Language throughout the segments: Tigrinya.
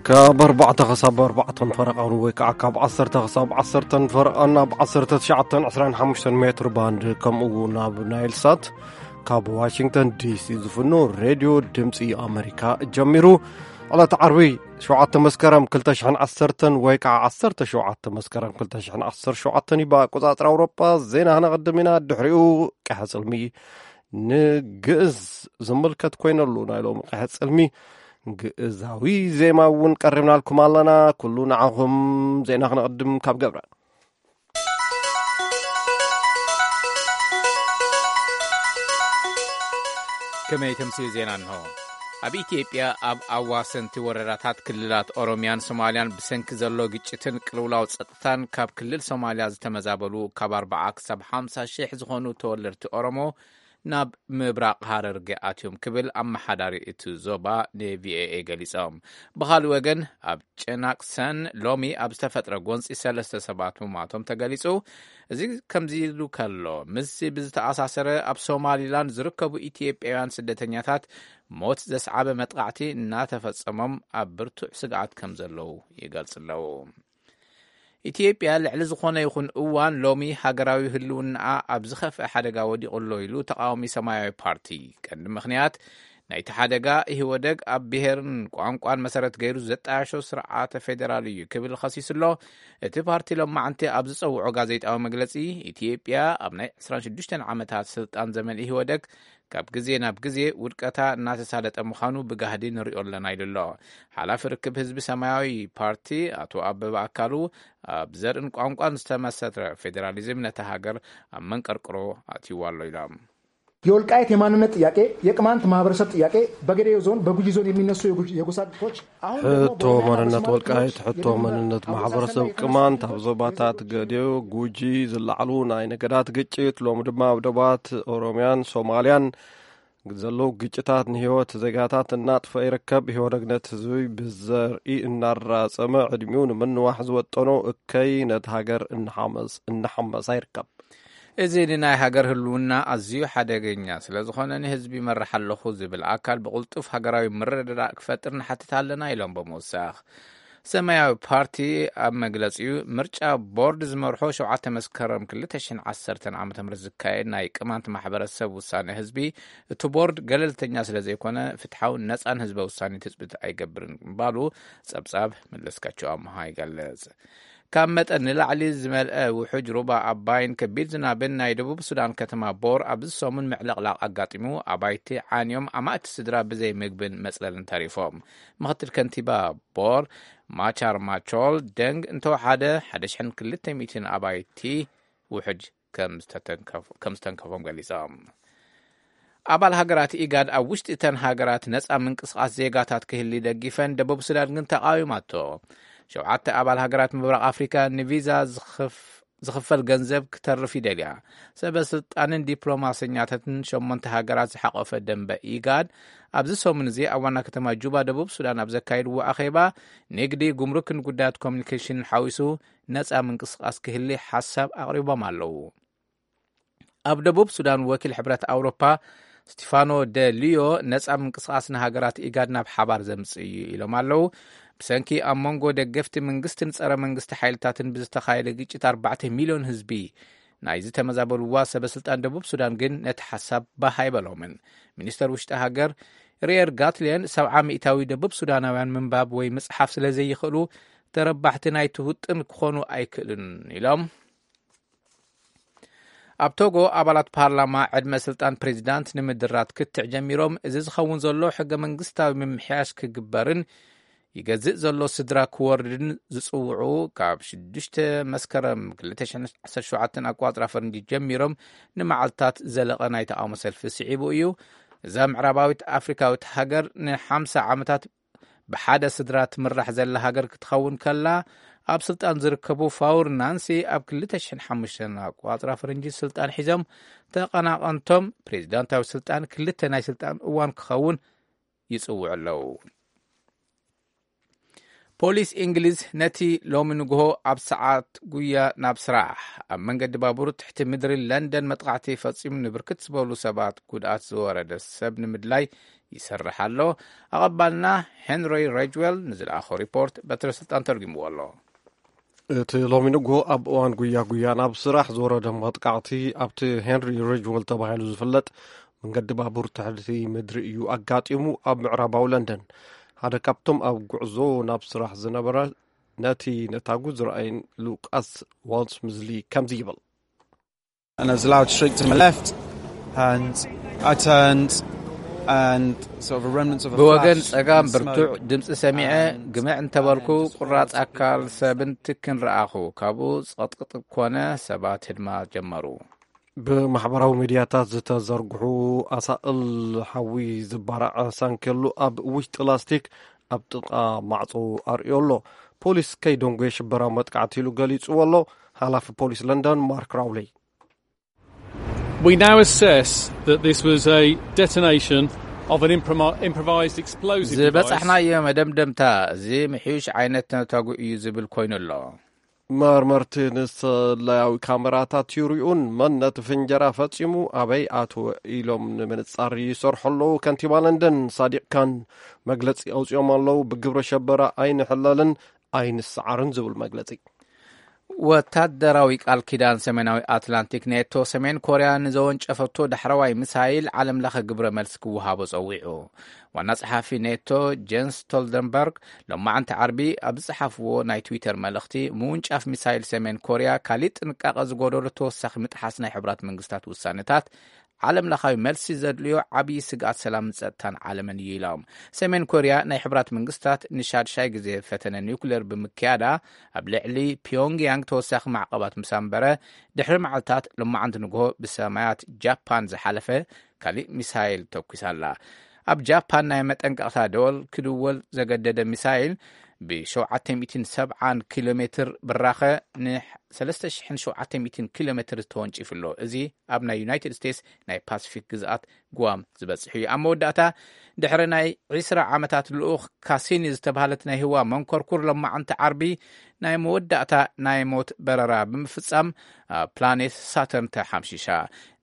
ካብ ኣርባዕተ ክሳብ ኣርባዕተን ፈረቓን ወይ ከዓ ካብ ዓሰርተ ክሳብ ዓሰርተን ፈረቓን ኣብ ዓሰርተ ትሽዓተን ዕስራን ሓሙሽተን ሜትር ባንድ፣ ከምኡ እውን ኣብ ናይል ሳት ካብ ዋሽንግተን ዲሲ ዝፍኖ ሬድዮ ድምፂ ኣሜሪካ ጀሚሩ። ዕለት ዓርቢ ሸውዓተ መስከረም ክልተ ሽሕን ዓሰርተን ወይ ከዓ ዓሰርተ ሸውዓተ መስከረም ክልተ ሽሕን ዓሰርተ ሸውዓተን እዩ ብኣቆፃፅራ ኣውሮጳ። ዜና ክነቐድም ኢና። ድሕሪኡ ቀሐ ፅልሚ ንግእዝ ዝምልከት ኮይነሉ ናይ ሎሚ ቀሐ ፅልሚ ግእዛዊ ዜማ እውን ቀሪብናልኩም ኣለና። ኩሉ ንዓኹም። ዜና ክነቐድም ካብ ገብረ። ከመይ ተምስዩ ዜና እንሆ። ኣብ ኢትዮጵያ ኣብ ኣዋሰንቲ ወረዳታት ክልላት ኦሮሚያን ሶማልያን ብሰንኪ ዘሎ ግጭትን ቅልውላው ጸጥታን ካብ ክልል ሶማልያ ዝተመዛበሉ ካብ ኣርባዓ ክሳብ ሓምሳ ሽሕ ዝኾኑ ተወለድቲ ኦሮሞ ናብ ምብራቕ ሃረርጌ ኣትዮም ክብል ኣመሓዳሪ እቲ ዞባ ንቪኦኤ ገሊጾም። ብኻልእ ወገን ኣብ ጨናቅሰን ሎሚ ኣብ ዝተፈጥረ ጎንፂ ሰለስተ ሰባት ምሟቶም ተገሊጹ። እዚ ከምዚ ኢሉ ከሎ፣ ምስዚ ብዝተኣሳሰረ ኣብ ሶማሊላንድ ዝርከቡ ኢትዮጵያውያን ስደተኛታት ሞት ዘስዓበ መጥቃዕቲ እናተፈጸሞም ኣብ ብርቱዕ ስግኣት ከም ዘለዉ ይገልጹ ኣለዉ። ኢትዮጵያ ልዕሊ ዝኾነ ይኹን እዋን ሎሚ ሃገራዊ ህልውናኣ ኣብ ዝኸፍአ ሓደጋ ወዲቑ ኣሎ ኢሉ ተቃዋሚ ሰማያዊ ፓርቲ። ቀንዲ ምኽንያት ናይቲ ሓደጋ ኢህወደግ ኣብ ብሄርን ቋንቋን መሰረት ገይሩ ዘጣየሾ ስርዓተ ፌዴራል እዩ ክብል ኸሲሱ ኣሎ። እቲ ፓርቲ ሎማዕንቲ ኣብ ዝጸውዖ ጋዜጣዊ መግለጺ፣ ኢትዮጵያ ኣብ ናይ ዕስራን ሽዱሽተን ዓመታት ስልጣን ዘመን ኢህወደግ ካብ ግዜ ናብ ግዜ ውድቀታ እናተሳለጠ ምዃኑ ብጋህዲ ንሪኦ ኣለና ኢሉ ኣሎ። ሓላፊ ርክብ ህዝቢ ሰማያዊ ፓርቲ ኣቶ ኣበበ ኣካሉ፣ ኣብ ዘርእን ቋንቋን ዝተመሰረተ ፌዴራሊዝም ነታ ሃገር ኣብ መንቀርቅሮ ኣትይዋ ኣሎ ኢሎም። የወልቃየት የማንነት ጥያቄ፣ የቅማንት ማህበረሰብ ጥያቄ፣ በገዴዮ ዞን፣ በጉጂ ዞን የሚነሱ የጎሳ ግጭቶች አሁን ደግሞ ሕቶ መንነት ወልቃይት፣ ሕቶ መንነት ማሕበረሰብ ቅማንት ኣብ ዞባታት ገዴዮ፣ ጉጂ ዝለዓሉ ናይ ነገዳት ግጭት፣ ሎሚ ድማ ኣብ ደባት ኦሮሚያን ሶማልያን ዘለዉ ግጭታት ንህይወት ዜጋታት እናጥፈ ይርከብ። ኢህወደግ ነቲ ህዝቢ ብዘርኢ እናራጸመ ዕድሚኡ ንምንዋሕ ዝወጠኖ እከይ ነቲ ሃገር እናሓመስ- እናሓመሳ ይርከብ። እዚ ንናይ ሃገር ህልውና ኣዝዩ ሓደገኛ ስለ ዝኾነ ንህዝቢ ይመርሕ ኣለኹ ዝብል ኣካል ብቕልጡፍ ሃገራዊ ምርድዳእ ክፈጥር ንሓትት ኣለና ኢሎም ብምውሳኽ ሰማያዊ ፓርቲ ኣብ መግለጺኡ ምርጫ ቦርድ ዝመርሖ ሸውዓተ መስከረም ክልተ ሽሕን ዓሰርተን ዓመተ ምህረት ዝካየድ ናይ ቅማንት ማሕበረሰብ ውሳነ ህዝቢ እቲ ቦርድ ገለልተኛ ስለ ዘይኮነ ፍትሓውን ነጻን ህዝበ ውሳኔ ትጽቢት ኣይገብርን ምባሉ ጸብጻብ መለስካቸው ኣምሃ ይገልጽ። ካብ መጠን ንላዕሊ ዝመልአ ውሑጅ ሩባ ኣባይን ከቢድ ዝናብን ናይ ደቡብ ሱዳን ከተማ ቦር ኣብዚ ሰሙን ምዕልቕላቕ ኣጋጢሙ ኣባይቲ ዓንዮም ኣማእቲ ስድራ ብዘይ ምግብን መጽለልን ተሪፎም። ምኽትል ከንቲባ ቦር ማቻር ማቾል ደንግ እንተወሓደ ሓደ ሽሕን ክልተ ሚእትን ኣባይቲ ውሑጅ ከም ዝተተንከፎም ገሊጾም። ኣባል ሃገራት ኢጋድ ኣብ ውሽጢ እተን ሃገራት ነጻ ምንቅስቓስ ዜጋታት ክህሊ ደጊፈን ደቡብ ሱዳን ግን ተቓዊማቶ። ሸውዓተ ኣባል ሃገራት ምብራቕ ኣፍሪካ ንቪዛ ዝኽፈል ገንዘብ ክተርፍ ይደልያ። ሰበ ስልጣንን ዲፕሎማሰኛታትን ሸሞንተ ሃገራት ዝሓቆፈ ደንበ ኢጋድ ኣብዚ ሰሙን እዚ ኣብ ዋና ከተማ ጁባ ደቡብ ሱዳን ኣብ ዘካየድዎ ኣኼባ ንግዲ፣ ጉምሩክን ጉዳያት ኮሚኒኬሽንን ሓዊሱ ነጻ ምንቅስቃስ ክህሊ ሓሳብ ኣቕሪቦም ኣለዉ። ኣብ ደቡብ ሱዳን ወኪል ሕብረት ኣውሮፓ ስቲፋኖ ደ ሊዮ ነጻ ምንቅስቃስ ንሃገራት ኢጋድ ናብ ሓባር ዘምጽእ እዩ ኢሎም ኣለዉ። ብሰንኪ ኣብ መንጎ ደገፍቲ መንግስትን ጸረ መንግስቲ ሓይልታትን ብዝተኻየደ ግጭት ኣርባዕተ ሚልዮን ህዝቢ ናይ ዝተመዛበልዋ ሰበ ስልጣን ደቡብ ሱዳን ግን ነቲ ሓሳብ ባህ ኣይበሎምን። ሚኒስተር ውሽጢ ሃገር ሪየር ጋትሌን ሰብዓ ሚእታዊ ደቡብ ሱዳናውያን ምንባብ ወይ ምጽሓፍ ስለ ዘይኽእሉ ተረባሕቲ ናይቲ ውጥን ክኾኑ ኣይክእልን ኢሎም። ኣብ ቶጎ ኣባላት ፓርላማ ዕድመ ስልጣን ፕሬዚዳንት ንምድራት ክትዕ ጀሚሮም። እዚ ዝኸውን ዘሎ ሕገ መንግስታዊ ምምሕያሽ ክግበርን ይገዝእ ዘሎ ስድራ ክወርድን ዝጽውዑ ካብ ሽዱሽተ መስከረም ክልተ ሽሕን ዓሰርተ ሸውዓተን ኣቋጽራ ፈረንጂ ጀሚሮም ንመዓልታት ዘለቐ ናይ ተቓውሞ ሰልፊ ስዒቡ እዩ። እዛ ምዕራባዊት ኣፍሪካዊት ሃገር ንሓምሳ ዓመታት ብሓደ ስድራ ትምራሕ ዘላ ሃገር ክትኸውን ከላ ኣብ ስልጣን ዝርከቡ ፋውር ናንሲ ኣብ ክልተ ሽሕን ሓሙሽተን ኣቋጽራ ፈረንጂ ስልጣን ሒዞም፣ ተቐናቐንቶም ፕሬዚዳንታዊ ስልጣን ክልተ ናይ ስልጣን እዋን ክኸውን ይጽውዑ ኣለዉ። ፖሊስ እንግሊዝ ነቲ ሎሚ ንግሆ ኣብ ሰዓት ጉያ ናብ ስራሕ ኣብ መንገዲ ባቡር ትሕቲ ምድሪ ለንደን መጥቃዕቲ ፈጺሙ ንብርክት ዝበሉ ሰባት ጉድኣት ዝወረደ ሰብ ንምድላይ ይሰርሕ ኣሎ። ኣቐባልና ሄንሪ ሬጅዌል ንዝለኣኾ ሪፖርት በትረ ስልጣን ተርጉምዎ ኣሎ። እቲ ሎሚ ንግሆ ኣብ እዋን ጉያ ጉያ ናብ ስራሕ ዝወረደ መጥቃዕቲ ኣብቲ ሄንሪ ሬጅዌል ተባሂሉ ዝፍለጥ መንገዲ ባቡር ትሕቲ ምድሪ እዩ ኣጋጢሙ። ኣብ ምዕራባዊ ለንደን ሓደ ካብቶም ኣብ ጉዕዞ ናብ ስራሕ ዝነበረ ነቲ ነታጉ ዝረኣይን ሉቃስ ዋልስ ምዝሊ ከምዚ ይብል። And there's a loud shriek to my left, and I turned, and sort of a remnant of a ብወገን flash ጸጋም and ብርቱዕ smoke ድምፂ ሰሚዐ፣ and ግምዕ እንተበልኩ and ቁራፅ ኣካል ሰብን ትክን ረኣኹ። ካብኡ ጸቕጥቕጥ ኮነ፣ ሰባት ህድማ ጀመሩ። ብማሕበራዊ ሚድያታት ዝተዘርግሑ ኣሳእል ሓዊ ዝበራዕ ሳንኬሉ ኣብ ውሽጢ ላስቲክ ኣብ ጥቓ ማዕጾ ኣርእዮ ኣሎ። ፖሊስ ከይደንጎየ ሽበራዊ መጥቃዕቲ ኢሉ ገሊጽዎ ኣሎ። ሓላፊ ፖሊስ ለንደን ማርክ ራውለይ። We now assess that this was a detonation of an impromi- improvised explosive device. ዝበጻሕናዮ መደምደምታ እዚ ምሕዩሽ ዓይነት ነታጉ እዩ ዝብል ኮይኑ ኣሎ። መርመርቲ ንሰላያዊ ካሜራታት ይርእዩን መን ነቲ ፍንጀራ ፈጺሙ ኣበይ ኣትወ ኢሎም ንምንጻር ይሰርሑ ኣለዉ። ከንቲባ ለንደን ሳዲቅ ካን መግለጺ ኣውጺኦም ኣለዉ። ብግብረ ሸበራ ኣይንሕለልን ኣይንሰዓርን ዝብል መግለጺ። ወታደራዊ ቃል ኪዳን ሰሜናዊ ኣትላንቲክ ኔቶ ሰሜን ኮርያ ንዘወንጨፈቶ ዳሕረዋይ ሚሳይል ዓለም ለኸ ግብረ መልሲ ክወሃቦ ጸዊዑ። ዋና ጸሓፊ ኔቶ ጀንስ ስቶልተንበርግ ሎማዓንቲ ዓርቢ ኣብ ዝጸሓፍዎ ናይ ትዊተር መልእኽቲ፣ ምውንጫፍ ሚሳይል ሰሜን ኮርያ ካሊእ ጥንቃቐ ዝጎደሎ ተወሳኺ ምጥሓስ ናይ ሕቡራት መንግስታት ውሳነታት ዓለም ለኻዊ መልሲ ዘድልዮ ዓብዪ ስግኣት ሰላምን ጸጥታን ዓለምን እዩ ኢሎም። ሰሜን ኮርያ ናይ ሕቡራት መንግስታት ንሻድሻይ ግዜ ፈተነ ኒውክሌር ብምክያዳ ኣብ ልዕሊ ፒዮንግያንግ ተወሳኺ ማዕቐባት ምስ ኣንበረ ድሕሪ መዓልታት ሎማዓንቲ ንግሆ ብሰማያት ጃፓን ዝሓለፈ ካሊእ ሚሳይል ተኩሳ ኣላ። ኣብ ጃፓን ናይ መጠንቀቕታ ደወል ክድወል ዘገደደ ሚሳይል ብ770 ኪሎ ሜትር ብራኸ ን3,700 ኪሎ ሜትር ተወንጪፉ ኣሎ። እዚ ኣብ ናይ ዩናይትድ ስቴትስ ናይ ፓሲፊክ ግዝኣት ጓም ዝበጽሕ እዩ። ኣብ መወዳእታ ድሕሪ ናይ ዕስራ ዓመታት ልኡኽ ካሲኒ ዝተባህለት ናይ ህዋ መንኮርኩር ሎማዓንቲ ዓርቢ ናይ መወዳእታ ናይ ሞት በረራ ብምፍጻም ኣብ ፕላኔት ሳተርን ተሓምሺሻ።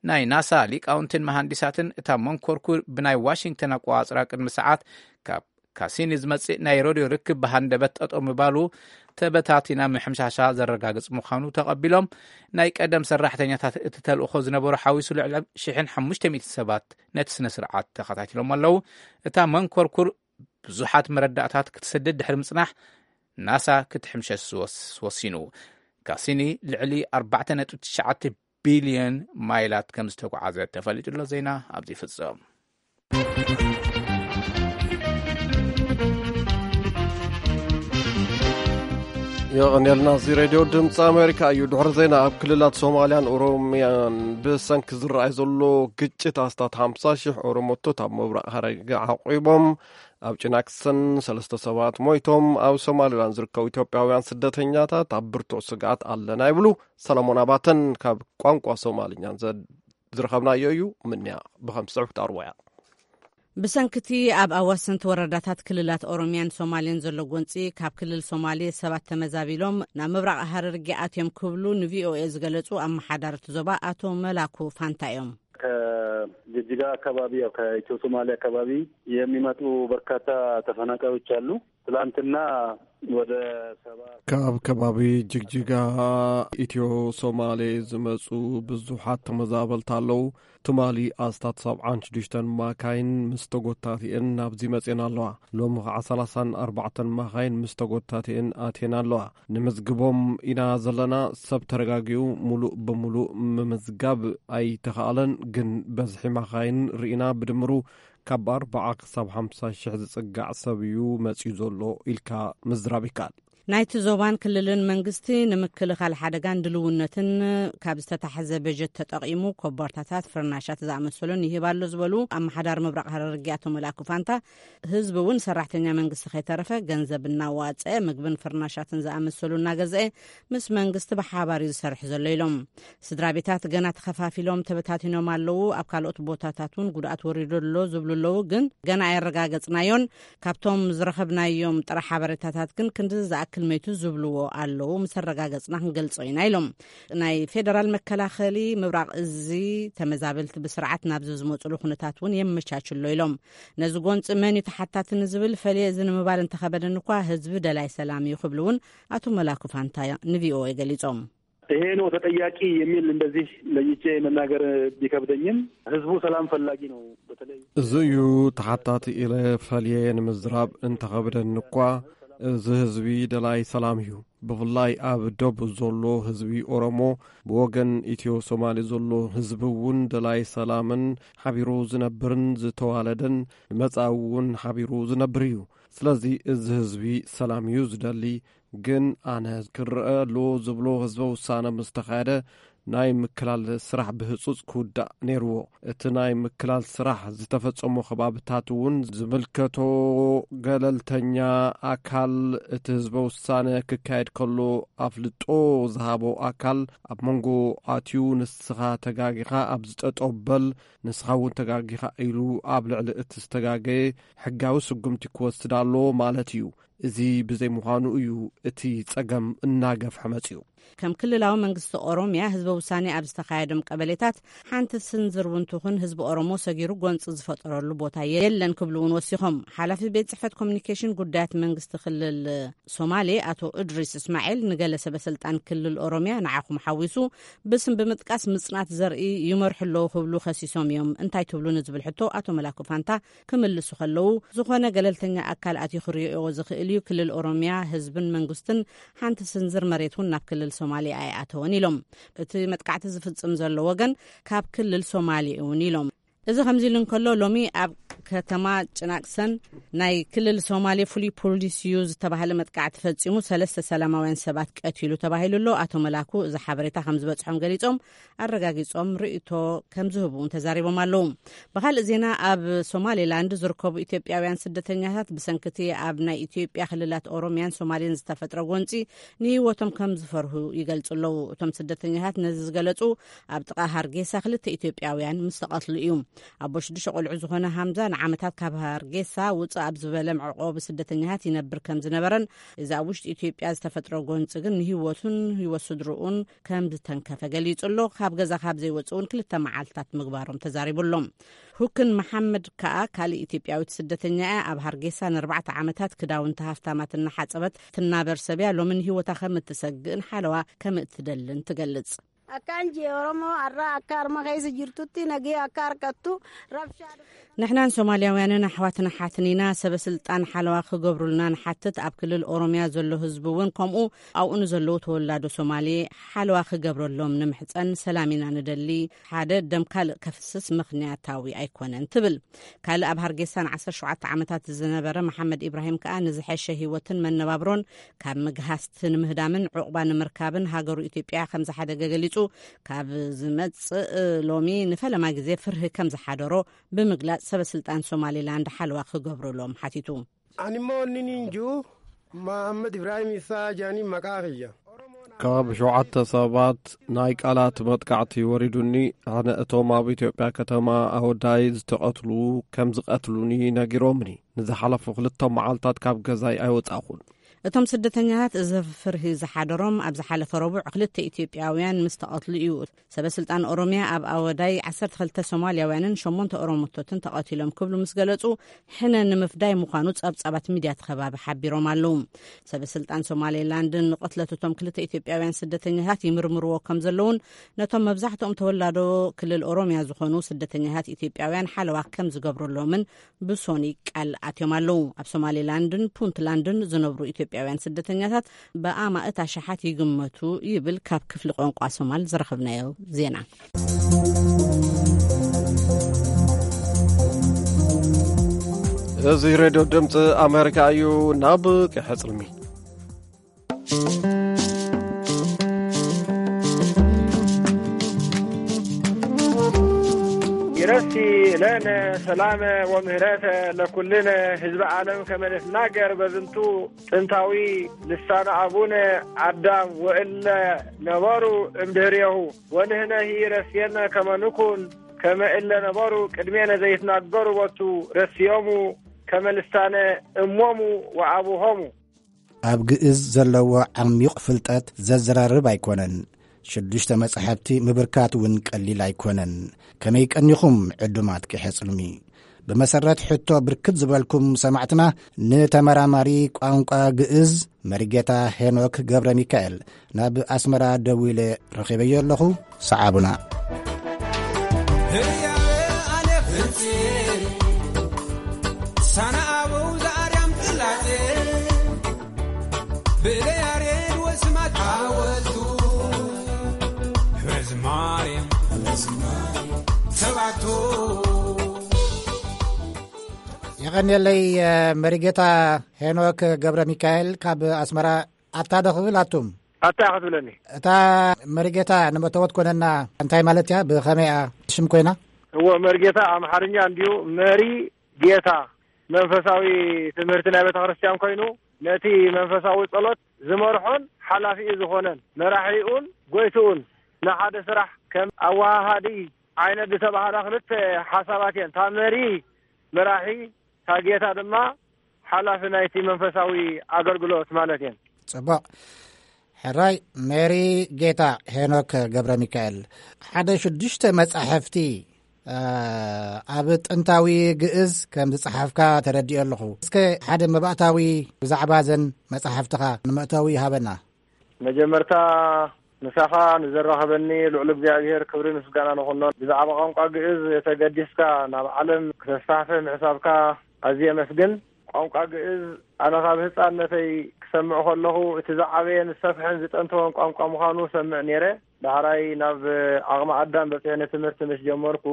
ናይ ናሳ ሊቃውንትን መሃንዲሳትን እታ መንኮርኩር ብናይ ዋሽንግተን ኣቆጻጽራ ቅድሚ ሰዓት ካብ ካሲኒ ዝመጽእ ናይ ሬድዮ ርክብ ብሃንደበት ጠጠው ምባሉ ተበታቲና ምሕምሻሻ ዘረጋግጽ ምዃኑ ተቐቢሎም። ናይ ቀደም ሰራሕተኛታት እቲ ተልእኾ ዝነበሩ ሓዊሱ ልዕሊ ሽሕን ሓሙሽተ ሚእትን ሰባት ነቲ ስነ ስርዓት ተኸታቲሎም ኣለዉ። እታ መንኮርኩር ብዙሓት መረዳእታት ክትሰድድ ድሕሪ ምጽናሕ ናሳ ክትሕምሸሽ ዝወስ- ወሲኑ። ካሲኒ ልዕሊ ኣርባዕተ ነጥቢ ትሽዓተ ቢልዮን ማይላት ከም ዝተጓዓዘ ተፈሊጡ ኣሎ። ዜና ኣብዚ ይፍጸም። የቐንየልና። እዚ ሬድዮ ድምፂ ኣሜሪካ እዩ። ድሕሪ ዜና፣ ኣብ ክልላት ሶማልያን ኦሮምያን ብሰንኪ ዝረኣይ ዘሎ ግጭት ኣስታት ሓምሳ ሺሕ ኦሮሞቶት ኣብ ምብራቕ ሃረርጌ ዓቑቦም፣ ኣብ ጭናክሰን ሰለስተ ሰባት ሞይቶም፣ ኣብ ሶማሊላንድ ዝርከቡ ኢትዮጵያውያን ስደተኛታት ኣብ ብርቱዕ ስግኣት ኣለና ይብሉ። ሰለሞን ኣባተን ካብ ቋንቋ ሶማልኛን ዘ- ዝረኸብናዮ እዩ። ምንያ ብኸም ዝስዕብ ክትኣርዎ እያ። ብሰንክቲ ኣብ ኣዋሰንቲ ወረዳታት ክልላት ኦሮሚያን ሶማሌን ዘሎ ጎንፂ፣ ካብ ክልል ሶማሌ ሰባት ተመዛቢሎም ናብ ምብራቕ ሃረርጌ ኣትዮም ክብሉ ንቪኦኤ ዝገለጹ ኣመሓዳርቲ ዞባ ኣቶ መላኩ ፋንታ እዮም። ከጅጅጋ አካባቢ፣ ያው ከኢትዮ ሶማሌ አካባቢ የሚመጡ በርካታ ተፈናቃዮች አሉ። ትላንትና ወደ ሰባ ካብ ከባቢ ጅግጅጋ ኢትዮ ሶማሌ ዝመፁ ብዙሓት ተመዛበልቲ ኣለዉ። ትማሊ ኣስታት ሰብዓን ሽዱሽተን ማካይን ምስ ተጎታቲአን ናብዚ መፅየን ኣለዋ። ሎሚ ከዓ ሰላሳን ኣርባዕተን ማካይን ምስ ተጎታቲአን ኣትየን ኣለዋ። ንምዝግቦም ኢና ዘለና። ሰብ ተረጋጊኡ ሙሉእ ብሙሉእ ምምዝጋብ ኣይተኻእለን፣ ግን በዝሒ ማካይን ርኢና ብድምሩ ካብ ኣርባዓ ክሳብ ሓምሳ ሽሕ ዝጽጋዕ ሰብ እዩ መጺኡ ዘሎ ኢልካ ምዝራብ ይከኣል። ናይቲ ዞባን ክልልን መንግስቲ ንምክልኻል ሓደጋን ድልውነትን ካብ ዝተታሕዘ በጀት ተጠቒሙ ኮቦርታታት፣ ፍርናሻት ዝኣመሰሉን ይህብ ኣሎ ዝበሉ ኣመሓዳሪ ምብራቕ ሃረርጌ ኣቶ መላኩ ፋንታ፣ ህዝቢ እውን ሰራሕተኛ መንግስቲ ከይተረፈ ገንዘብ እናዋፀ ምግብን ፍርናሻትን ዝኣመሰሉ እናገዘአ ምስ መንግስቲ ብሓባር እዩ ዝሰርሕ ዘሎ ኢሎም። ስድራ ቤታት ገና ተኸፋፊሎም ተበታቲኖም ኣለዉ። ኣብ ካልኦት ቦታታት እውን ጉድኣት ወሪዱ ኣሎ ዝብሉ ኣለዉ፣ ግን ገና ኣየረጋገጽናዮን። ካብቶም ዝረኸብናዮም ጥረ ሓበሬታታት ግን ክንዲ ዝኣክል መይቱ ዝብልዎ ኣለዉ፣ ምስ ኣረጋገጽና ክንገልጾ ኢና ኢሎም። ናይ ፌደራል መከላኸሊ ምብራቕ እዚ ተመዛበልቲ ብስርዓት ናብዚ ዝመጹሉ ኩነታት እውን የመቻችሎ ኢሎም። ነዚ ጎንፂ መን እዩ ተሓታቲ ንዝብል ፈልየ እዚ ንምባል እንተኸበደኒ እኳ ህዝቢ ደላይ ሰላም እዩ ክብሉ እውን ኣቶ መላኩ ፋንታ ንቪኦኤ ገሊጾም። ይሄ ነው ተጠያቂ የሚል እንደዚህ ለይቼ መናገር ቢከብደኝም፣ ህዝቡ ሰላም ፈላጊ ነው። በተለይ እዚ እዩ ተሓታቲ ኢለ ፈልየ ንምዝራብ እንተኸብደኒ እኳ፣ እዚ ህዝቢ ደላይ ሰላም እዩ። ብፍላይ ኣብ ደቡብ ዘሎ ህዝቢ ኦሮሞ፣ ብወገን ኢትዮ ሶማሊ ዘሎ ህዝቢ እውን ደላይ ሰላምን ሓቢሩ ዝነብርን ዝተዋለደን ንመጻኢ እውን ሓቢሩ ዝነብር እዩ። ስለዚ እዚ ህዝቢ ሰላም እዩ ዝደሊ። ግን ኣነ ክረአ ኣሎ ዝብሎ ህዝበ ውሳነ ምስ ተኻየደ ናይ ምክላል ስራሕ ብህጹጽ ክውዳእ ነይርዎ። እቲ ናይ ምክላል ስራሕ ዝተፈጸሞ ከባብታት እውን ዝምልከቶ ገለልተኛ ኣካል፣ እቲ ህዝበ ውሳነ ክካየድ ከሎ ኣፍልጦ ዝሃቦ ኣካል ኣብ መንጎ ኣትዩ፣ ንስኻ ተጋጊኻ ኣብዚ ጠጠው በል፣ ንስኻ እውን ተጋጊኻ ኢሉ ኣብ ልዕሊ እቲ ዝተጋገየ ሕጋዊ ስጉምቲ ክወስድ ኣሎ ማለት እዩ። እዚ ብዘይ ምዃኑ እዩ እቲ ጸገም እናገፍሐ መጺኡ። ከም ክልላዊ መንግስቲ ኦሮሚያ ህዝበ ውሳኔ ኣብ ዝተኻየዶም ቀበሌታት ሓንቲ ስንዝር እውን ትኹን ህዝቢ ኦሮሞ ሰጊሩ ጎንፂ ዝፈጠረሉ ቦታ የለን ክብሉ እውን ወሲኾም። ሓላፊ ቤት ጽሕፈት ኮሚኒኬሽን ጉዳያት መንግስቲ ክልል ሶማሌ ኣቶ እድሪስ እስማኤል ንገለ ሰበ ስልጣን ክልል ኦሮሚያ ንዓኹም ሓዊሱ ብስም ብምጥቃስ ምጽናት ዘርኢ ይመርሑ ኣለዉ ክብሉ ከሲሶም እዮም። እንታይ ትብሉ ንዝብል ሕቶ ኣቶ መላኩ ፋንታ ክምልሱ ከለዉ፣ ዝኾነ ገለልተኛ ኣካል ኣትዩ ክርእዮ ዝኽእል እዩ። ክልል ኦሮሚያ ህዝብን መንግስትን ሓንቲ ስንዝር መሬት እውን ናብ ክልል ሶማሌ ኣይኣተወን ኢሎም። እቲ መጥቃዕቲ ዝፍጽም ዘሎ ወገን ካብ ክልል ሶማሌ እውን ኢሎም። እዚ ከምዚ ኢሉ እንከሎ፣ ሎሚ ኣብ ከተማ ጭናቅሰን ናይ ክልል ሶማሌ ፍሉይ ፖሊስ እዩ ዝተባህለ መጥቃዕቲ ፈጺሙ ሰለስተ ሰላማውያን ሰባት ቀቲሉ ተባሂሉ ኣሎ። ኣቶ መላኩ እዚ ሓበሬታ ከም ዝበጽሖም ገሊጾም፣ ኣረጋጊጾም ርእይቶ ከም ዝህቡ እውን ተዛሪቦም ኣለዉ። ብኻልእ ዜና፣ ኣብ ሶማሌላንድ ዝርከቡ ኢትዮጵያውያን ስደተኛታት ብሰንክቲ ኣብ ናይ ኢትዮጵያ ክልላት ኦሮሚያን ሶማሌን ዝተፈጥረ ጎንፂ ንህይወቶም ከም ዝፈርሁ ይገልጹ ኣለዉ። እቶም ስደተኛታት ነዚ ዝገለጹ ኣብ ጥቓ ሃርጌሳ ክልተ ኢትዮጵያውያን ምስ ተቐትሉ እዩ። ኣቦ ሽዱሽተ ቆልዑ ዝኾነ ሃምዛ ንዓመታት ካብ ሃርጌሳ ውፅእ ኣብ ዝበለ መዕቆቢ ስደተኛታት ይነብር ከም ዝነበረን እዚ ኣብ ውሽጢ ኢትዮጵያ ዝተፈጥረ ጎንፂ ግን ንህይወቱን ህይወት ስድርኡን ከም ዝተንከፈ ገሊጹ ኣሎ። ካብ ገዛ ካብ ዘይወፅእ እውን ክልተ መዓልትታት ምግባሮም ተዛሪቡ ኣሎ። ሁክን መሓመድ ከኣ ካልእ ኢትዮጵያዊት ስደተኛ እያ። ኣብ ሃርጌሳ ንኣርባዕተ ዓመታት ክዳውንቲ ሃፍታማት እናሓጸበት ትናበር ሰብ እያ። ሎሚ ንህይወታ ከም እትሰግእን ሓለዋ ከም እትደልን ትገልጽ። Akkaan jee Oromoo har'a akka harma keessa jirtutti nagee akka harkattu rabshaa ንሕናን ሶማልያውያንን ኣሕዋትን ኣሓትን ኢና። ሰበ ስልጣን ሓለዋ ክገብሩልና ንሓትት። ኣብ ክልል ኦሮምያ ዘሎ ህዝቢ እውን ከምኡ ኣብኡ ንዘለዉ ተወላዶ ሶማሌ ሓለዋ ክገብረሎም ንምሕፀን። ሰላም ኢና ንደሊ። ሓደ ደም ካልእ ከፍስስ ምኽንያታዊ ኣይኮነን ትብል። ካልእ ኣብ ሃርጌሳ ንዓሰርተ ሸውዓተ ዓመታት ዝነበረ መሓመድ ኢብራሂም ከኣ ንዝሐሸ ህይወትን መነባብሮን ካብ ምግሃስቲ ንምህዳምን ዑቕባ ንምርካብን ሃገሩ ኢትዮጵያ ከም ዝሓደገ ገሊጹ። ካብ ዝመጽእ ሎሚ ንፈለማ ግዜ ፍርሂ ከም ዝሓደሮ ብምግላጽ ሰበ ስልጣን ሶማሌላንድ ሓለዋ ክገብሩሎም ሓቲቱ። Ani immoo inni niin jiru Mahammad Ibrahim Isaa jaanii maqaa kiyya. ካብ ሸውዓተ ሰባት ናይ ቃላት መጥቃዕቲ ወሪዱኒ። ኣነ እቶም ኣብ ኢትዮጵያ ከተማ ኣወዳይ ዝተቐትሉ ከም ዝቐትሉኒ ነጊሮምኒ። ንዝሓለፉ ክልተ መዓልታት ካብ ገዛይ ኣይወጻኹን። እቶም ስደተኛታት እዚ ፍርሂ ዝሓደሮም ኣብ ዝሓለፈ ረቡዕ ክልተ ኢትዮጵያውያን ምስ ተቐትሉ እዩ። ሰበ ስልጣን ኦሮምያ ኣብ ኣወዳይ ዓሰርተ ክልተ ሶማልያውያንን ሸሞንተ ኦሮሞቶትን ተቐቲሎም ክብሉ ምስ ገለጹ፣ ሕነ ንምፍዳይ ምዃኑ ጸብጻባት ሚድያት ከባቢ ሓቢሮም ኣለዉ። ሰበ ስልጣን ሶማሌላንድን ንቕትለት እቶም ክልተ ኢትዮጵያውያን ስደተኛታት ይምርምርዎ ከም ዘለዉን ነቶም መብዛሕትኦም ተወላዶ ክልል ኦሮምያ ዝኾኑ ስደተኛታት ኢትዮጵያውያን ሓለዋ ከም ዝገብሩሎምን ብሶኒ ቃል ኣትዮም ኣለዉ። ኣብ ሶማሌላንድን ፑንትላንድን ዝነብሩ ኢትዮጵያውያን ስደተኛታት ብኣማእት ኣሽሓት ይግመቱ ይብል ካብ ክፍሊ ቋንቋ ሶማል ዝረኸብናዮ ዜና። እዚ ሬድዮ ድምፂ ኣሜሪካ እዩ። ናብ ቀሕፅልሚ ነፍሲ ለነ ሰላመ ወምህረተ ለኩልነ ህዝበ ዓለም ከመ ንትናገር በዝንቱ ጥንታዊ ልሳነ ኣቡነ ኣዳም ወእለ ነበሩ እምድህሬሁ ወንህነሂ ረስየነ ከመ ንኩን ከመ እለ ነበሩ ቅድሜነ ዘይትናገሩ ቦቱ ረስዮሙ ከመ ልሳነ እሞሙ ወኣቡሆሙ። ኣብ ግእዝ ዘለዎ ዓሚቕ ፍልጠት ዘዘራርብ ኣይኮነን። ሽዱሽተ መጻሕፍቲ ምብርካት እውን ቀሊል ኣይኮነን። ከመይ ቀኒኹም ዕዱማት ቂሐ ጽልሚ? ብመሰረት ሕቶ ብርክት ዝበልኩም ሰማዕትና፣ ንተመራማሪ ቋንቋ ግእዝ መሪጌታ ሄኖክ ገብረ ሚካኤል ናብ ኣስመራ ደዊለ ረኺበዮ ኣለኹ። ሰዓቡና። ህያበ ኣነ ፍጽም ሳና ኣበው ዘኣርያም ጽላጼ ብለያሬድ ወስማት ሓወልቱ ህዝማሬም ተባቶ። የቐንየለይ፣ መሪጌታ ሄኖክ ገብረ ሚካኤል ካብ ኣስመራ። ኣታ ዶ ክብል ኣቱም? ኣታ ኢኻ ክትብለኒ። እታ መሪጌታ ንመእተወት ኮነና እንታይ ማለት እያ? ብኸመይ እያ ሽም ኮይና? እዎ፣ መሪጌታ ኣምሓርኛ እንድዩ። መሪ ጌታ መንፈሳዊ ትምህርቲ ናይ ቤተ ክርስቲያን ኮይኑ፣ ነቲ መንፈሳዊ ጸሎት ዝመርሖን ሓላፊኡ ዝኾነን መራሒኡን ጎይትኡን ንሓደ ስራሕ ከም ኣወሃሃዲ ዓይነት ዝተባህላ ክልተ ሓሳባት እየን። እታ መሪ መራሒ፣ እታ ጌታ ድማ ሓላፊ ናይቲ መንፈሳዊ ኣገልግሎት ማለት እየን። ጽቡቕ። ሕራይ፣ ሜሪ ጌታ ሄኖክ ገብረ ሚካኤል፣ ሓደ ሽዱሽተ መጻሕፍቲ፣ እ፣ ኣብ ጥንታዊ ግእዝ ከም ዝጸሓፍካ ተረዲኦ ኣለኹ። እስከ ሓደ መባእታዊ ብዛዕባ ዘን መጻሕፍትኻ ንመእተዊ ይሃበና። መጀመርታ፣ ምሳኻ ንዘራኸበኒ ልዑል እግዚኣብሔር ክብሪ ምስጋና ንኹኖ። ብዛዕባ ቋንቋ ግእዝ ተገዲስካ ናብ ዓለም ክተስፋሕፍሕ ምሕሳብካ ኣዝየ የመስግን። ቋንቋ ግእዝ ኣነ ካብ ህጻንነተይ ክሰምዕ ከለኹ፣ እቲ ዝዓበየን ዝሰፍሐን ዝጠንተወን ቋንቋ ምዃኑ ሰምዕ ነይረ። ዳሕራይ ናብ ዓቕሚ ኣዳም በጺሐ ንትምህርቲ ምስ ጀመርኩ፣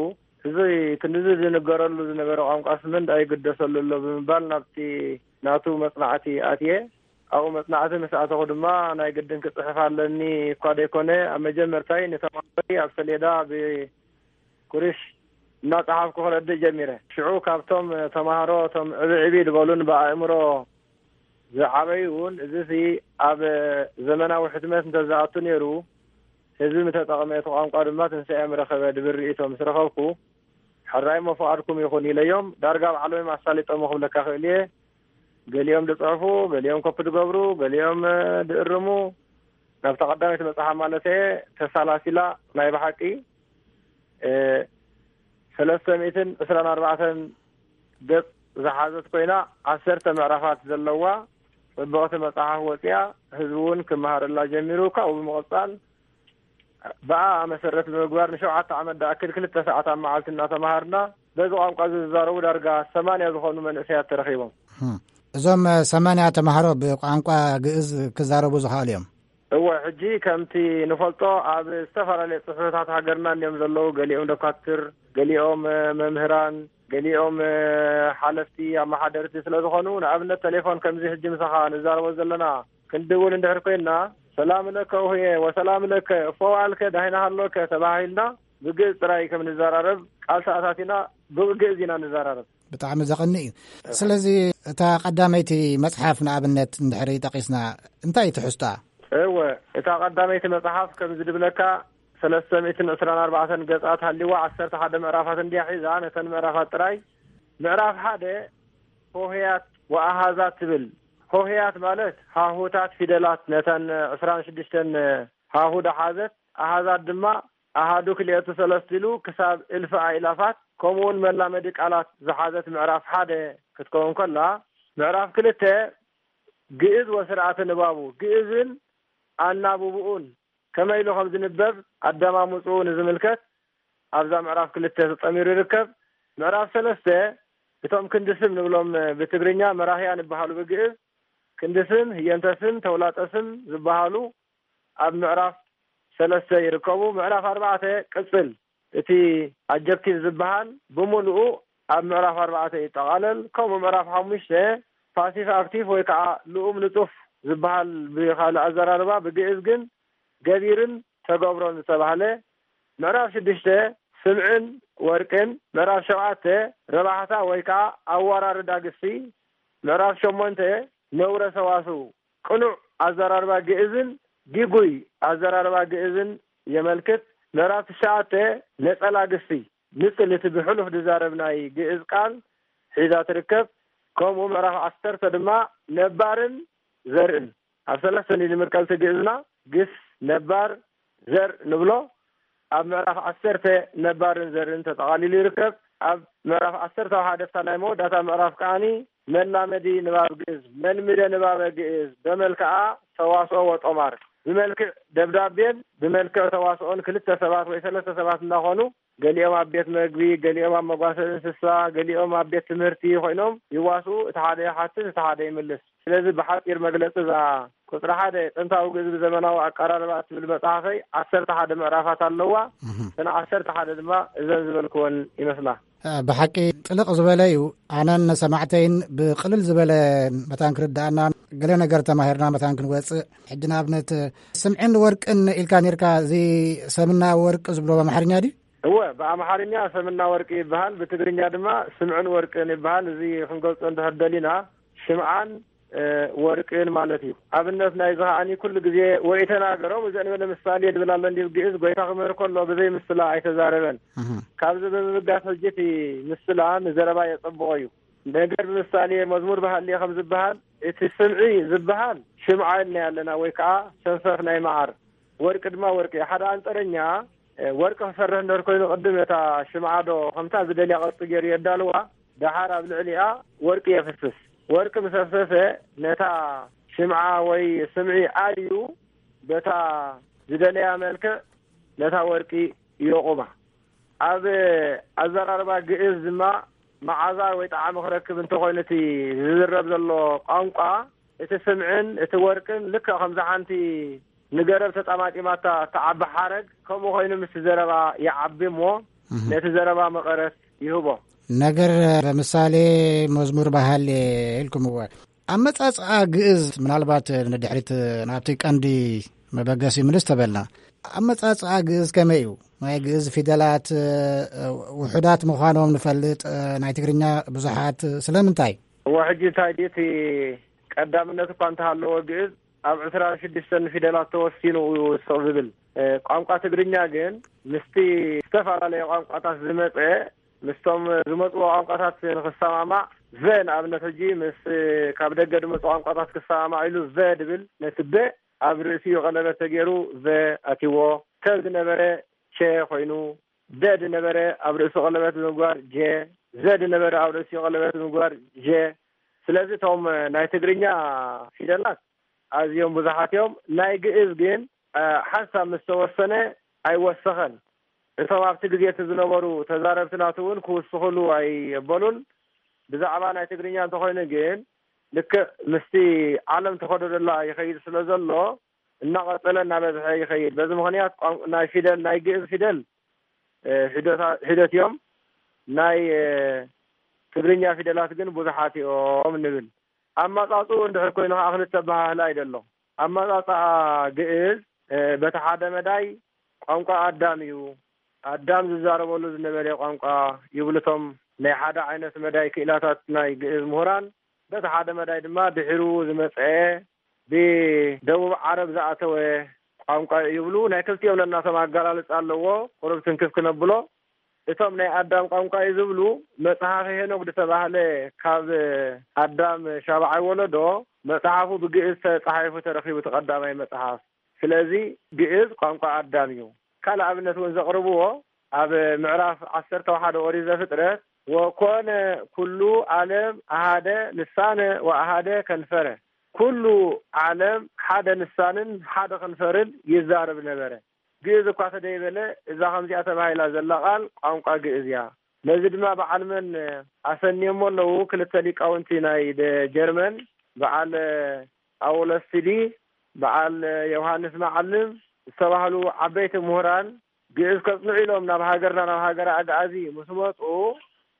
እዚ ክንድዚ ዝንገረሉ ዝነበረ ቋንቋስ ምንዳይ ይግደሰሉ ኣሎ ብምባል ናብቲ ናቱ መጽናዕቲ ኣትየ። ኣብኡ መጽናዕቲ ምስ ኣተኹ ድማ፣ ናይ ግድን ክጽሕፍ ኣለኒ እኳ ደይኮነ፣ ኣብ መጀመርታይ ንተማሃሮይ ኣብ ሰሌዳ ብኩርሽ እናጸሓፍኩ ክረድእ ጀሚረ። ሽዑ ካብቶም ተማሃሮ፣ እቶም ዕብይ ዕብይ ዝበሉን ብኣእምሮ ዝዓበዩን፣ እዚሲ ኣብ ዘመናዊ ሕትመት እንተዝኣቱ ነይሩ፣ ህዝቢ ምተጠቕመ፣ እቲ ቋንቋ ድማ ትንሳኤ ምረኸበ ዝብል ርእይቶ ምስ ረኸብኩ፣ ሕራይ እሞ ፍቓድኩም ይኹን ኢለዮም። ዳርጋ ባዕሎም ኣሳሊጦሞ ክብለካ ክእል እየ። ገሊኦም ዝጽሕፉ፣ ገሊኦም ኮፒ ዝገብሩ፣ ገሊኦም፣ እ፣ ዝእርሙ፣ ናብታ ቀዳመይቲ መጽሓፍ ማለት እየ፣ ተሳላሲላ ናይ ብሓቂ፣ እ፣ ሰለስተ ሚእትን ዕስራን ኣርባዕተን ገጽ ዝሓዘት ኮይና፣ ዓሰርተ ምዕራፋት ዘለዋ ጽብቕቲ መጽሓፍ ወጺኣ፣ ህዝቢ እውን ክመሃረላ ጀሚሩ። ካብኡ ብምቕጻል፣ ብኣ መሰረት ብምግባር ንሸውዓተ ዓመት ዝኣክል ክልተ ሰዓት ኣብ መዓልቲ እናተመሃርና፣ በዚ ቋንቋ እዚ ዝዛረቡ ዳርጋ ሰማንያ ዝኾኑ መንእሰያት ተረኺቦም። ህም። እዞም ሰማንያ ተምሃሮ ብቋንቋ ግእዝ ክዛረቡ ዝኽኣሉ እዮም? እወ፣ ሕጂ ከምቲ ንፈልጦ ኣብ ዝተፈላለየ ጽፍሕታት ሃገርና እንዲዮም ዘለዉ። ገሊኦም ደኳትር፣ ገሊኦም መምህራን፣ ገሊኦም ሓለፍቲ፣ ኣመሓደርቲ ስለ ዝኾኑ፣ ንኣብነት ቴሌፎን ከምዚ ሕጂ ምሳኻ ንዛረቦ ዘለና ክንድውል እንድሕር ኮይንና፣ ሰላም ለከ ኡህየ ወሰላም ለከ፣ እፎ ዋልከ፣ ዳህና ሃሎከ ተባሂልና፣ ብግእዝ ጥራይ ከም ንዘራረብ ቃል ተኣታቲና፣ ብግእዝ ኢና ንዘራረብ። ብጣዕሚ ዘቐንእ እዩ። ስለዚ እታ ቀዳመይቲ መጽሓፍ ንኣብነት እንድሕሪ ጠቒስና፣ እንታይ እዩ ትሕዝቶኣ? እወ፣ እታ ቀዳመይቲ መጽሓፍ ከም ዝድብለካ፣ ሰለስተ ሚእትን ዕስራን ኣርባዕተን ገጻት ሃልይዋ፣ ዓሰርተ ሓደ ምዕራፋት እንድያ ሒዛ፣ ነተን ምዕራፋት ጥራይ፣ ምዕራፍ ሓደ ሆሄያት ወኣሃዛት ትብል። ሆሄያት ማለት ሃሁታት ፊደላት፣ ነተን ዕስራን ሽዱሽተን ሃሁ ዝሓዘት፣ ኣሃዛት ድማ ኣሃዱ ክልኤቱ ሰለስቱ ኢሉ ክሳብ እልፊ ኣእላፋት፣ ከምኡውን መላመዲ ቃላት ዝሓዘት ምዕራፍ ሓደ ክትከውን ከላ፣ ምዕራፍ ክልተ ግእዝ ወስርዓተ ንባቡ፣ ግእዝን ኣናብብኡን ከመይ ኢሉ ከም ዝንበብ ኣደማምፅኡ ንዝምልከት ኣብዛ ምዕራፍ ክልተ ተጠሚሩ ይርከብ። ምዕራፍ ሰለስተ እቶም ክንዲ ስም ንብሎም ብትግርኛ መራህያ ንበሃሉ ብግእዝ፣ ክንዲ ስም፣ ህየንተ ስም፣ ተውላጠ ስም ዝበሃሉ ኣብ ምዕራፍ ሰለስተ ይርከቡ። ምዕራፍ ኣርባዕተ ቅጽል፣ እቲ ኣጀክቲቭ ዝበሃል ብምሉኡ ኣብ ምዕራፍ ኣርባዕተ ይጠቓለል። ከምኡ ምዕራፍ ሓሙሽተ ፓሲቭ ኣክቲቭ ወይ ከዓ ልኡም ንጡፍ ዝበሃል፣ ብኻልእ ኣዘራርባ ብግእዝ ግን ገቢርን ተገብሮን ዝተባህለ፣ ምዕራፍ ሽዱሽተ ስምዕን ወርቅን፣ ምዕራፍ ሸውዓተ ረባሕታ ወይ ከዓ ኣወራርዳ ግሲ፣ ምዕራፍ ሸሞንተ ነውረ ሰዋስው፣ ቅኑዕ ኣዘራርባ ግእዝን ግጉይ ኣዘራርባ ግእዝን የመልክት። ምዕራፍ ትሽዓተ ነጸላ ግሲ፣ ንጽል እቲ ብሕሉፍ ዝዛረብ ናይ ግእዝ ቃል ሒዛ ትርከብ። ከምኡ ምዕራፍ ዓሰርተ ድማ ነባርን ዘርእን። ኣብ ሰለስተ ንመቀልቲ ግእዝና ግስ፣ ነባር፣ ዘር ንብሎ። ኣብ ምዕራፍ ዓሰርተ ነባርን ዘርእን ተጠቓሊሉ ይርከብ። ኣብ ምዕራፍ ዓሰርተ ሓደ፣ እታ ናይ መወዳእታ ምዕራፍ ከዓኒ መላመዲ ንባብ ግእዝ፣ መልምደ ንባበ ግእዝ፣ በመልክዓ ሰዋስኦ ወጦማር፣ ብመልክዕ ደብዳቤን ብመልክዕ ተዋስኦን ክልተ ሰባት ወይ ሰለስተ ሰባት እንዳኾኑ፣ ገሊኦም ኣብ ቤት መግቢ፣ ገሊኦም ኣብ መጓሰ እንስሳ፣ ገሊኦም ኣብ ቤት ትምህርቲ ኮይኖም ይዋስኡ። እቲ ሓደ ይሓትት፣ እቲ ሓደ ይምልስ። ስለዚ ብሓጺር መግለጺ እዛ ቁጽሪ ሓደ ጥንታዊ ግእዝ ብዘመናዊ ኣቀራርባ እትብል መጽሓፈይ ዓሰርተ ሓደ ምዕራፋት ኣለዋ። እህም። እተን ዓሰርተ ሓደ ድማ እዘን ዝበልክወን ይመስላ። እ፣ ብሓቂ ጥልቕ ዝበለ እዩ። ኣነን ሰማዕተይን ብቕልል ዝበለ መታን ክርድኣና፣ ገለ ነገር ተማሂርና መታን ክንወጽእ። ሕጂ ንኣብነት ስምዕን ወርቅን ኢልካ ኔርካ፣ እዚ ሰምና ወርቅ ዝብሎ ብኣምሓርኛ ድዩ? እወ፣ ብኣምሓርኛ ሰምና ወርቂ ይበሃል፣ ብትግርኛ ድማ ስምዕን ወርቅን ይበሃል። እዚ ክንገልጾ እንድሕር ደሊና ሽምዓን፣ እ፣ ወርቅን ማለት እዩ። ኣብነት ናይዚ ከዓኒ ኩሉ ግዜ ወኢተናገሮም እዘን በለ ምሳሌ ድብል ኣሎ እንዲ ግእዝ፣ ጎይታ ክምህር ከሎ ብዘይ ምስላ ኣይተዛረበን። እህ። ካብዚ ብምብጋስ ሕጂ እቲ ምስላ ንዘረባ የጸብቖ እዩ። ነገር ብምሳሌ መዝሙር ብሃሌ ከም ዝበሃል፣ እቲ ስምዒ ዝበሃል ሽምዓ ኢልና ኣለና ወይ ከዓ ሰንፈፍ ናይ መዓር። ወርቂ ድማ ወርቂ። ሓደ ኣንጠረኛ፣ እ፣ ወርቂ ክሰርሕ እንድሕር ኮይኑ ቅድም ነታ ሽምዓ ዶ ከምታ ዝደልያ ቅርጺ ገይሩ የዳልዋ፣ ደሓር ኣብ ልዕሊኣ ወርቂ የፍስስ። ወርቂ ምስ ኣፍሰሰ ነታ ሽምዓ ወይ ስምዒ ኣልዩ በታ ዝደለያ መልክዕ ነታ ወርቂ የቑማ። ኣብ ኣዘራርባ ግእዝ ድማ መዓዛ ወይ ጣዕሚ ክረክብ እንተኾይኑ እቲ ዝዝረብ ዘሎ ቋንቋ፣ እቲ ስምዕን እቲ ወርቅን ልክዕ ከምዛ ሓንቲ ንገረብ ተጣማጢማታ እትዓቢ ሓረግ ከምኡ ኮይኑ ምስ ዘረባ ይዓቢ እሞ እህ። ነቲ ዘረባ መቐረት ይህቦ። ነገር ብምሳሌ መዝሙር ባህል ኢልኩምዎ። ኣመጻጽኣ ግእዝ ምናልባት ንድሕሪት ናብቲ ቀንዲ መበገሲ ምልስ ተበልና። ኣመጻጽኣ ግእዝ ከመይ እዩ? ናይ ግእዝ ፊደላት፣ እ፣ ውሑዳት ምዃኖም ንፈልጥ፣ እ፣ ናይ ትግርኛ ብዙሓት። ስለምንታይ? እወ፣ ሕጂ እንታይ ድዩ እቲ ቀዳምነት እኳ እንተሃለዎ ግእዝ ኣብ ዕስራን ሽዱሽተን ፊደላት ተወሲኑ እዩ ስቕ ዝብል። እ፣ ቋንቋ ትግርኛ ግን ምስቲ ዝተፈላለየ ቋንቋታት ዝመጸ፣ ምስቶም ዝመጽዎ ቋንቋታት ንኽሰማማዕ፣ ቨ ንኣብነት ሕጂ ምስ ካብ ደገ ዝመጹ ቋንቋታት ክሰማማዕ ኢሉ ቨ ድብል፣ ነቲ በ ኣብ ርእሲኡ ቀለበት ተገይሩ ቨ ኣትይዎ። ተ ዝነበረ ቸ ኮይኑ፣ ደ ዝነበረ ኣብ ርእሱ ቀለበት ብምግባር ጀ፣ ዘ ዝነበረ ኣብ ርእሲኡ ቀለበት ብምግባር ጀ። ስለዚ እቶም ናይ ትግርኛ ፊደላት ኣዝዮም ብዙሓት እዮም። ናይ ግእዝ ግን፣ እ፣ ሓንሳብ ምስ ተወሰነ ኣይወሰኸን። እቶም ኣብቲ ግዜ እቲ ዝነበሩ ተዛረብቲ ናቱ እውን ክውስኽሉ ኣይበሉን። ብዛዕባ ናይ ትግርኛ እንተኾይኑ ግን ልክዕ ምስቲ ዓለም ተኸዶ ዘላ ይኸይድ ስለ ዘሎ እናቐጸለ እናበዝሐ ይኸይድ። በዚ ምኽንያት ቋን-፣ ናይ ፊደል፣ ናይ ግእዝ ፊደል፣ እ፣ ሒደታ-፣ ሒደት እዮም። ናይ፣ እ፣ ትግርኛ ፊደላት ግን ብዙሓት እዮም ንብል። ኣመጻጽኡ እንድሕር ኮይኑ ከዓ ክልተ ኣበሃህላ እዩ ዘሎ። ኣመጻጽኣ ግእዝ፣ እ፣ በቲ ሓደ መዳይ ቋንቋ ኣዳም እዩ። ኣዳም ዝዛረበሉ ዝነበረ ቋንቋ ይብሉ እቶም ናይ ሓደ ዓይነት መዳይ ክኢላታት ናይ ግእዝ ምሁራን። በቲ ሓደ መዳይ ድማ ድሒሩ ዝመጸ ብደቡብ ዓረብ ዝኣተወ ቋንቋ እዩ ይብሉ። ናይ ክልቲኦም ነናቶም ኣገላልጻ ኣለዎ። ቁሩብ ትንክፍ ክነብሎ፣ እቶም ናይ ኣዳም ቋንቋ እዩ ዝብሉ፣ መጽሓፈ ሄኖክ ዝተባህለ ካብ ኣዳም ሻብዓይ ወለዶ መጽሓፉ ብግእዝ ተጻሒፉ ተረኺቡ፣ እቲ ቀዳማይ መጽሓፍ። ስለዚ ግእዝ ቋንቋ ኣዳም እዩ። ካልእ ኣብነት እውን ዘቕርብዎ ኣብ ምዕራፍ ዓሰርተ ሓደ ኦሪት ዘፍጥረት፣ "ወኮነ ኩሉ ዓለም ኣሃደ ልሳነ ወኣሃደ ከንፈረ።" ኩሉ ዓለም ሓደ ልሳንን ሓደ ከንፈርን ይዛረብ ነበረ። ግእዝ እኳ ተደይበለ፣ እዛ ከምዚኣ ተባሂላ ዘላ ቃል ቋንቋ ግእዝ እያ። ነዚ ድማ በዓል መን ኣሰንዮሞ ኣለዉ? ክልተ ሊቃውንቲ ናይ ደ-፣ ጀርመን፣ በዓል ጳውሎስ ቲሊ፣ በዓል ዮሃንስ መዓልም ዝተባህሉ ዓበይቲ ምሁራን፣ ግእዝ ከጽንዑ ኢሎም ናብ ሃገርና፣ ናብ ሃገረ ኣግኣዚ ምስ መጹ፣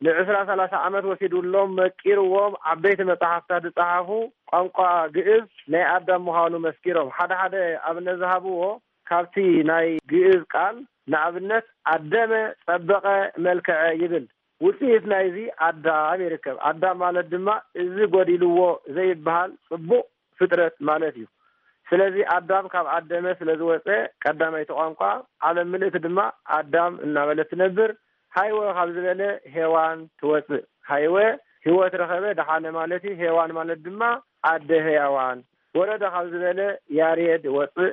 ንዕስራ ሰላሳ ዓመት ወሲዱሎም፣ መቂርዎም፣ ዓበይቲ መጻሕፍታት ዝጸሓፉ፣ ቋንቋ ግእዝ ናይ ኣዳም ምዃኑ መስኪሮም። ሓደ ሓደ ኣብነት ዝሃብዎ፣ ካብቲ ናይ ግእዝ ቃል ንኣብነት ኣደመ፣ ጸበቐ፣ መልክዐ ይብል። ውጽኢት ናይዚ ኣዳም ይርከብ። ኣዳም ማለት ድማ እዚ ጎዲልዎ ዘይበሃል ጽቡቕ ፍጥረት ማለት እዩ። ስለዚ ኣዳም ካብ ኣደመ ስለ ዝወጸ ቀዳመይቲ ቋንቋ ዓለም ምልእቲ ድማ ኣዳም እናበለት ትነብር። ሃይወ ካብ ዝበለ ሄዋን ትወጽእ። ሃይወ ህይወት ረኸበ፣ ደሓነ ማለት እዩ። ሄዋን ማለት ድማ ኣደ ህያዋን። ወረደ ካብ ዝበለ ያሬድ ወጽእ።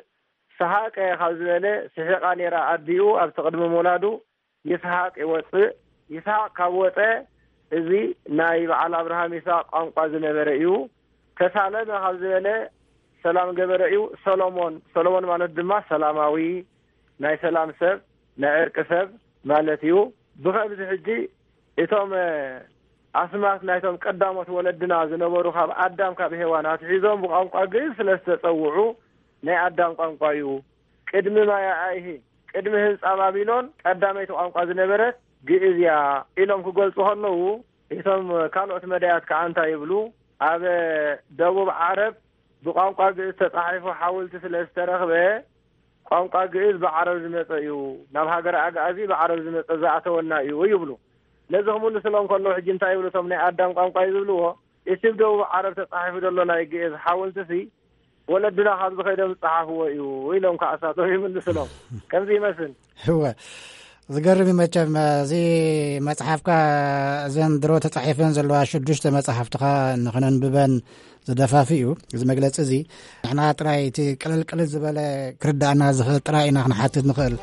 ሰሓቀ ካብ ዝበለ ስሒቓ ነይራ ኣዲኡ ኣብቲ ቅድሚ ምውላዱ ይስሐቅ ይወጽእ። ይስሐቅ ካብ ወጸ፣ እዚ ናይ በዓል ኣብርሃም ይስሐቅ ቋንቋ ዝነበረ እዩ። ተሳለመ ካብ ዝበለ ሰላም ገበረ እዩ። ሰሎሞን፣ ሰሎሞን ማለት ድማ ሰላማዊ፣ ናይ ሰላም ሰብ፣ ናይ ዕርቂ ሰብ ማለት እዩ። ብኸምዚ ሕጂ እቶም ኣስማት ናይቶም ቀዳሞት ወለድና ዝነበሩ ካብ ኣዳም ካብ ሄዋን ኣትሒዞም ብቋንቋ ግእዝ ስለ ዝተጸውዑ ናይ ኣዳም ቋንቋ እዩ። ቅድሚ ማይ ኣይሂ፣ ቅድሚ ህንጻ ባቢሎን ቀዳመይቲ ቋንቋ ዝነበረት ግእዝ እያ ኢሎም ክገልጹ ከለዉ፣ እቶም ካልኦት መዳያት ከኣ እንታይ ይብሉ? ኣብ ደቡብ ዓረብ ብቋንቋ ግእዝ ተጻሒፉ ሓወልቲ ስለ ዝተረኽበ፣ ቋንቋ ግእዝ ብዓረብ ዝመጸ እዩ፣ ናብ ሃገረ ኣግኣዚ ብዓረብ ዝመጸ ዝኣተወና እዩ ይብሉ። ነዚ ክምልስሎም ከለዉ ሕጂ እንታይ ይብሉ? እቶም ናይ ኣዳም ቋንቋ እዩ ዝብልዎ፣ እቲ ብደቡብ ዓረብ ተጻሒፉ ዘሎ ናይ ግእዝ ሓወልትሲ ወለድና ካብዚ ከይዶም ዝጸሓፍዎ እዩ ኢሎም ከዓ እሳቶም ይምልስሎም። ከምዚ ይመስል። እወ፣ ዝገርም እዩ መቸም። እዚ መጽሓፍካ፣ እዘን ድሮ ተጻሒፈን ዘለዋ ሽዱሽተ መጽሓፍትኻ ንኽነንብበን ዝደፋፍእ እዩ እዚ መግለጺ እዚ። ንሕና ጥራይ እቲ ቅልል ቅልል ዝበለ ክርዳእና ዝኽእል ጥራይ ኢና ክንሓትት ንኽእል።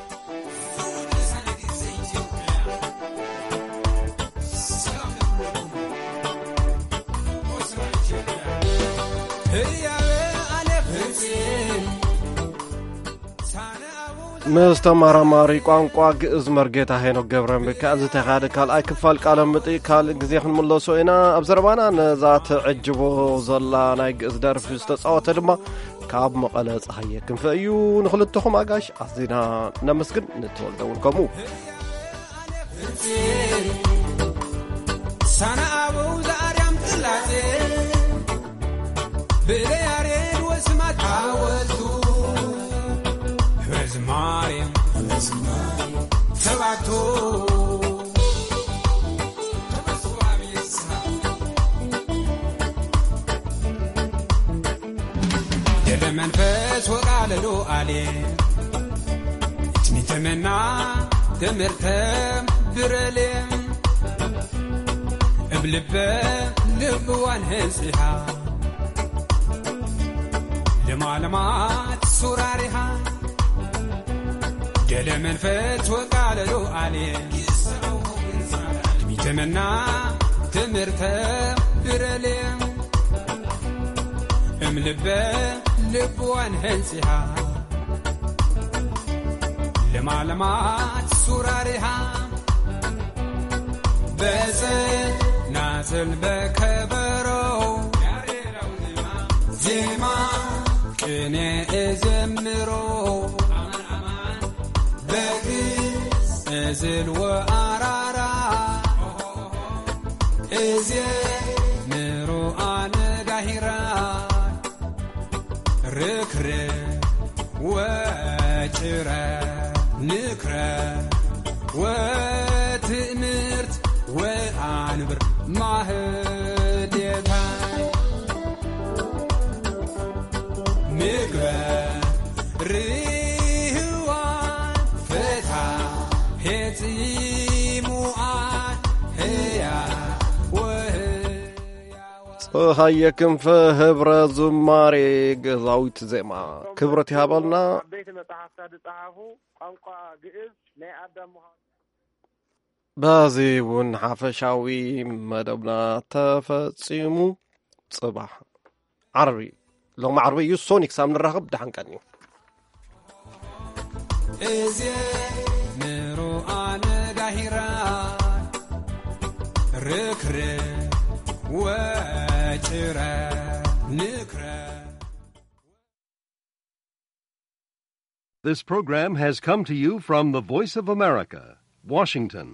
ምስ ተመራማሪ ቋንቋ ግእዝ መርጌታ ሄኖክ ገብረ ሚካኤል ዝተኻየደ ካልኣይ ክፋል ቃለ መጠይቅ ካልእ ግዜ ክንምለሶ ኢና። ኣብ ዘረባና ነዛ ትዕጅቦ ዘላ ናይ ግእዝ ደርፊ ዝተጻወተ ድማ ካብ መቐለ ጸሃየ ክንፈ እዩ። ንኽልተኹም ኣጋሽ ኣዚና ነመስግን፣ ንተወልደ እውን ከምኡ። ሳና ኣበው ዘኣርያም ጽላጼ ብለያሬድ ወስማት ሓወልቱ ህብረ ዝማሬ ሰባቱ ደለ መንፈስ ወቃለሉ ኣሌ ትሚተመና ትምህርተ ብረሌ እብ ልበ ልብዋን ህንጽሃ ለማለማት ሱራሪሃ ደለ መንፈስ ወቃለሉ ኣሌ ትሚተመና ትምህርተ ብረሌ እም ልበ ልብዋን ህንጽሃ ለማለማት ሱራሪሃ በጽናጽል በከበሮ ዜማ ቅኔ እዘምሮ በግዕዝ እዝል ወኣራራ እዜምሮ ኣነጋሂራ ርክረ ወጭረ ንክረ ወትእምርት ወኣንብር ማህሌታ ምግበ ርህዋ ፈታ ሄጺሙኣ ህያ ወህያ ጸሃየ ክንፈ ህብረ ዝማሬ ገዛዊት ዜማ ክብረት ይሃበልና። ዓበይቲ መጽሓፍታ ዝጸሓፉ ቋንቋ ግእዝ ናይ ኣዳም ምዃኑ። በዚ እውን ሓፈሻዊ መደብና ተፈጺሙ። ጽባሕ ዓርቢ፣ ሎሚ ዓርቢ እዩ፣ ሶኒ ክሳብ ንራኸብ ደሓን ቀንዩ። እዜ ምሮ ኣነጋሂራ ርክር ወጭረ ንክረ This program has come to you from the Voice of America, Washington.